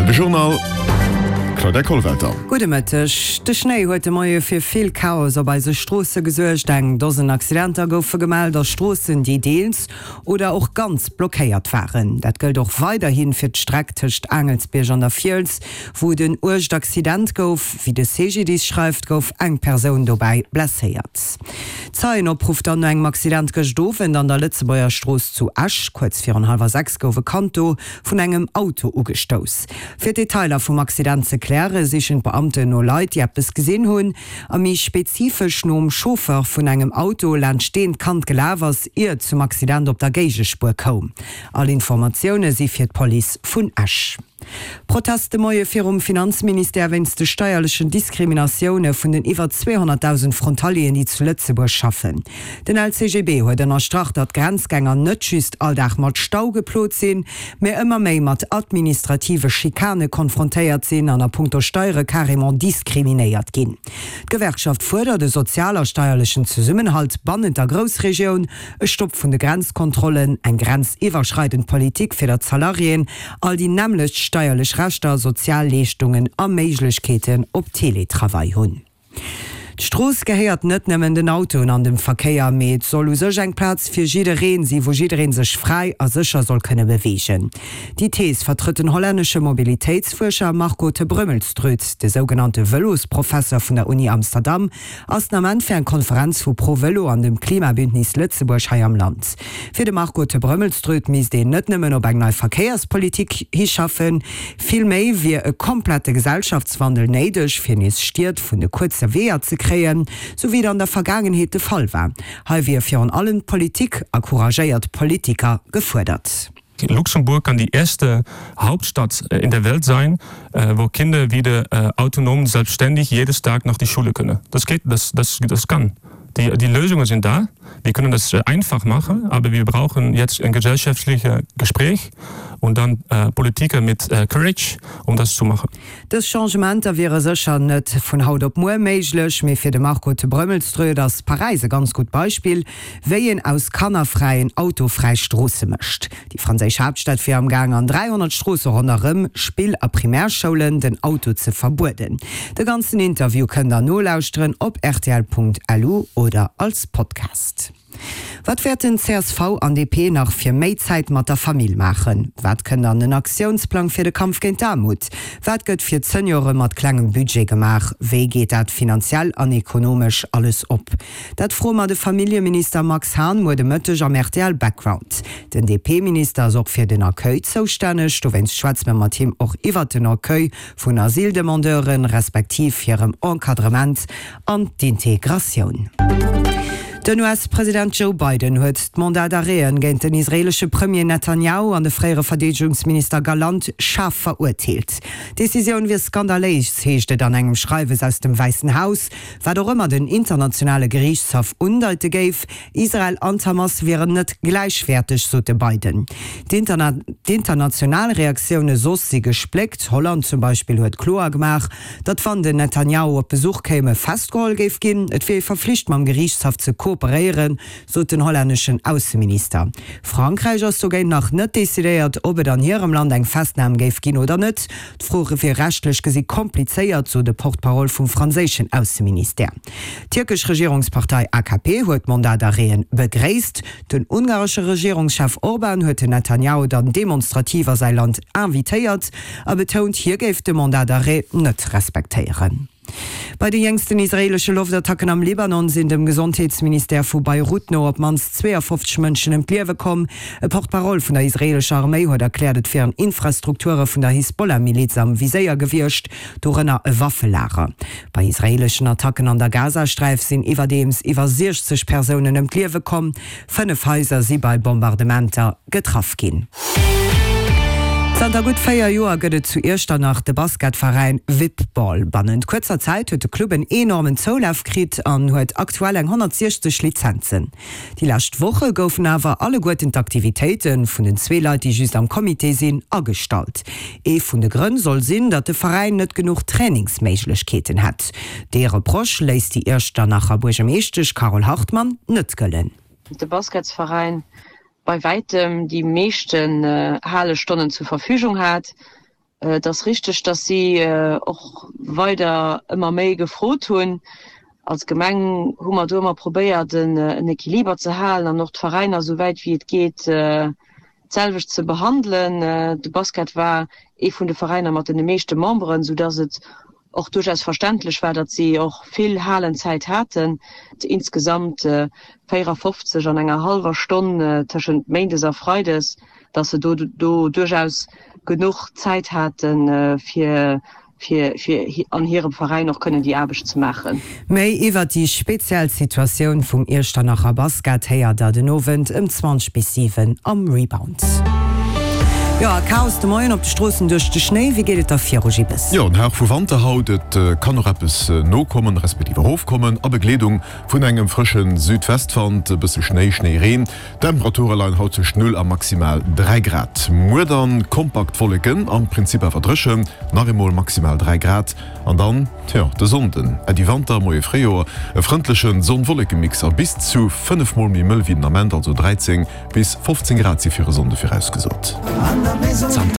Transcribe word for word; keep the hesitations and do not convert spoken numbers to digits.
De Journal Claudia Kollwelter. Gudde Mëtteg. De Schnéi huet de Moie fir vill Chaos op eise Stroosse gesuergt. Eng Dosen Accidenter goufe gemellt a Stroossen, déi deels oder och ganz blockéiert waren. Dat gëllt och weiderhi fir d'Streck tëscht Aangelsbierg an der Fiels, wou et en uergt Accident gouf. Wéi de C G D I S schreift, gouf eng Persoun dobäi blesséiert. Zeienopruff dann no engem Accident gëscht Owend an der Lëtzebuerger Strooss zu Esch. Kuerz virun hallwer sechs gouf e Kand do vun engem Auto ugestouss. Fir d'Detailer vum Accident ze klären, sichen d'Beamten no Leit, déi eppes gesinn hunn, a méi spezifesch nom Chauffeur vun engem Auto, laanscht deen d'Kand gelaf ass, ier et zum Accident op der Géigespuer koum. All Informatioune si fir d'Police vun Esch. Protest de Moie virum Finanzministère wéinst de steierlechen Diskriminatioune vun den iwwer zweehonnertdausend Frontalieren, déi zu Lëtzebuerg schaffen. Den L C G B huet ënnerstrach, datt d'Grenzgänger net just all Dag mat Stau geplot sinn, mä ëmmer méi mat administrative Schikane konfrontéiert sinn an a punkto Steiere carrément diskriminéiert ginn. D'Gewerkschaft fuerdert e sozial a steierlechen Zesummenhalt bannent der Groussregioun, e Stopp vun de Grenzkontrollen, eng grenziwwerschreidend Politik fir datt d'Salariéen all déi nämmlecht steierlech Rechter, sozial Leeschtungen a Méiglechkeeten op Teletravail hunn. D'Strooss gehéiert net nëmmen den Autoen an dem Verkéier, mee et soll u sech eng Plaz fir jiddereen si wou jiddereen sech fräi a sécher soll kënne beweegen. Déi Thees vertrëtt den hollännesche Mobilitéitsfuerscher Marco te Brömmelstroet. De sougenannte Vëlosprofesser vun der Uni Amsterdam ass den Ament fir eng Konferenz vu ProVëlo an dem Klimabündnis Lëtzebuerg hei am Land. Fir de Marco te Brömmelstroet misst een net nëmmen op eng nei Verkéierspolitik hischaffen, vill méi wier e komplette Gesellschaftswandel néideg, fir nees Stied vun de kuerze Weeër ze kréien, sou wéi et an der Vergaangenheet de Fall war. Hei wier virun allem d'Politik a couragéiert Politiker gefuerdert. Luxemburg kann die erste Hauptstadt in der Welt sein, wo Kinder wieder autonom, selbstständig jedes Tag nach die Schule können. Das geht, das, das, das kann. Die, die Lösungen sind da. Wir können das einfach machen, aber wir brauchen jetzt ein gesellschaftliches Gespräch und dann äh, Politiker mit äh, Courage, um das zu machen. Dës Changementer wiere sécher net vun haut op muer méiglech, mee fir de Marco te Brömmelstroet ass Paräis e ganz gutt Beispill, wéi een aus kannerfräien autofräi Stroosse mécht. Déi franséisch Haaptstad wier am Gaang an dräihonnert Stroosse ronderëm Spill a Primärschoulen den Auto ze verbueden. De ganzen Interview kënnt der nolauschteren op R T L Punkt L U oder als Podcast. Wat wäerten C S V an D P nach fir méi Zäit mat der Famill maachen? Wat kënnt an den Aktiounsplang fir de Kampf géint d'Aarmut? Wat gëtt fir d'Seniore mat klengem Budget gemaach? Wéi geet dat finanziell an ekonomesch alles op? Dat froe mer de Familljeminister Max Hahn muer de Mëtteg am R T L Background. Den D P-Minister ass och fir den Accueil zoustänneg, dowéinst schwätze mer mat him och iwwert den Accueil vun Asyldemandeuren, respektiv hirem Encadrement an d'Integratioun. Den U S-President Joe Biden huet d'Mandat d'arrêten géint den israeelesche Premier Netanyahu an de fréiere Verdeedegungsminister Galant schaarf verurteelt. D'Decisioun wier skandaléis, heescht et an engem Schreiwes aus dem Wäissen Haus, wat och ëmmer den internationale Geriichtshaff undeite géif. Israel an d'Hamas wieren net gläichwäerteg, sot de Biden. D'international Reaktioune soss si gespléckt. Holland zum Beispill huet kloer gemaach, datt wann den Netanyahu op Besuch kéim, e festgeholl géif ginn. Et wier ee verflicht mam Geriichtshaff ze kooperéieren, sot den hollänneschen Ausseminister. Frankräich ass dogéint nach net decidéiert, ob et an hirem Land eng Festnam géif ginn oder net. D'Fro wier rechtlech gesi komplizéiert, sot de Porte-parole vum franséischen Ausseministère. D'tierkesch Regierungspartei A K P huet d'Mandat d'arrêten begréisst. Den ungaresche Regierungschef Orban huet den Netanyahu dann demonstrativ a säi Land invitéiert a betount, hie géif de Mandat d'arrêt net respektéieren. Bei de jéngsten israeelesche Loftattacken am Libanon sinn dem Gesondheetsministère vu Beirut no op d'mannst zweeafofzeg Mënschen ëm d'Liewe komm. E Porte-parole vun der israeelescher Arméi huet erkläert, et wieren Infrastrukture vun der Hisbollah-Miliz am Viséier gewiescht, dorënner e Waffelager. Bei israeeleschen Attacken an der Gazasträif sinn iwwerdeems iwwer siechzeg Persounen ëm d'Liewe komm. Fënnef Haiser si bei Bombardementer getraff ginn. Zanter gutt véier Joer gëtt et zu Iechternach de Basketveräin Vipball. Bannent kuerzer Zäit huet de Club en enormen Zoulaf kritt an huet aktuell eng honnertsiechzeg Lizenzen. Déi lescht Woche goufen awer alleguerten d'Aktivitéite vun den zwee Leit, déi just am Comité sinn, agestallt. Ee vun de Grënn soll sinn, datt de Veräin net genuch Trainingsméiglechkeeten hätt. Dee Reproche léisst déi Iechternacher Buergermeeschtesch Carole Hartmann net gëllen. De Basketsveräin bei wäitem déi meeschten Halestonnen zur Verfügung hat. Et ass richteg, datt si och weider ëmmer méi gefrot hunn. Als Gemeng hu mer do ëmmer probéiert, en Equiliber ze halen an och d'Veräiner esou wäit wéi et geet d'selwecht ze behandelen. De Basket war ee vun de Veräiner mat den meeschte Memberen, soudatt et och duerchaus verständlech war, datt si och vill Halenzäit haten, insgesamt véierafofzeg an enger hallwer Stonn tëschent méindes a freides, datt se do do duerchaus genuch Zäit haten, fir fir fir an hirem Veräin och kënnen déi Aarbecht ze maachen. Méi iwwert déi speziell Situatioun vum Iechternacher Basket héiert der den Owend ëm zwanzeg bis siwen am Rebound. Jo, a Chaos de Moien op de Stroossen duerch de Schnéi. Wéi geet et da viru, Gibbes? Jo, en Hauch vu Wanter haut. Et kann och eppes nokommen, respektiv erofkommen, a Begleedung vun engem frësche Südwestwand. E bësse Schnéi, Schnéireen. D'Temperature leien haut tëscht null a maximal dräi Grad. Muer dann kompakt Wolleken, am Prinzip awer dréchen, nach eemol maximal dräi Grad. An dann, tjo, de Sonnden, Äddi Wanter, Moie Fréijoer, e frëndleche Sonn-Wolleke-Mix a bis zu fënnef Mol méi mëll wéi den Ament, also dräizéng bis fofzéng Grad si fir e Sonnde virausgesot.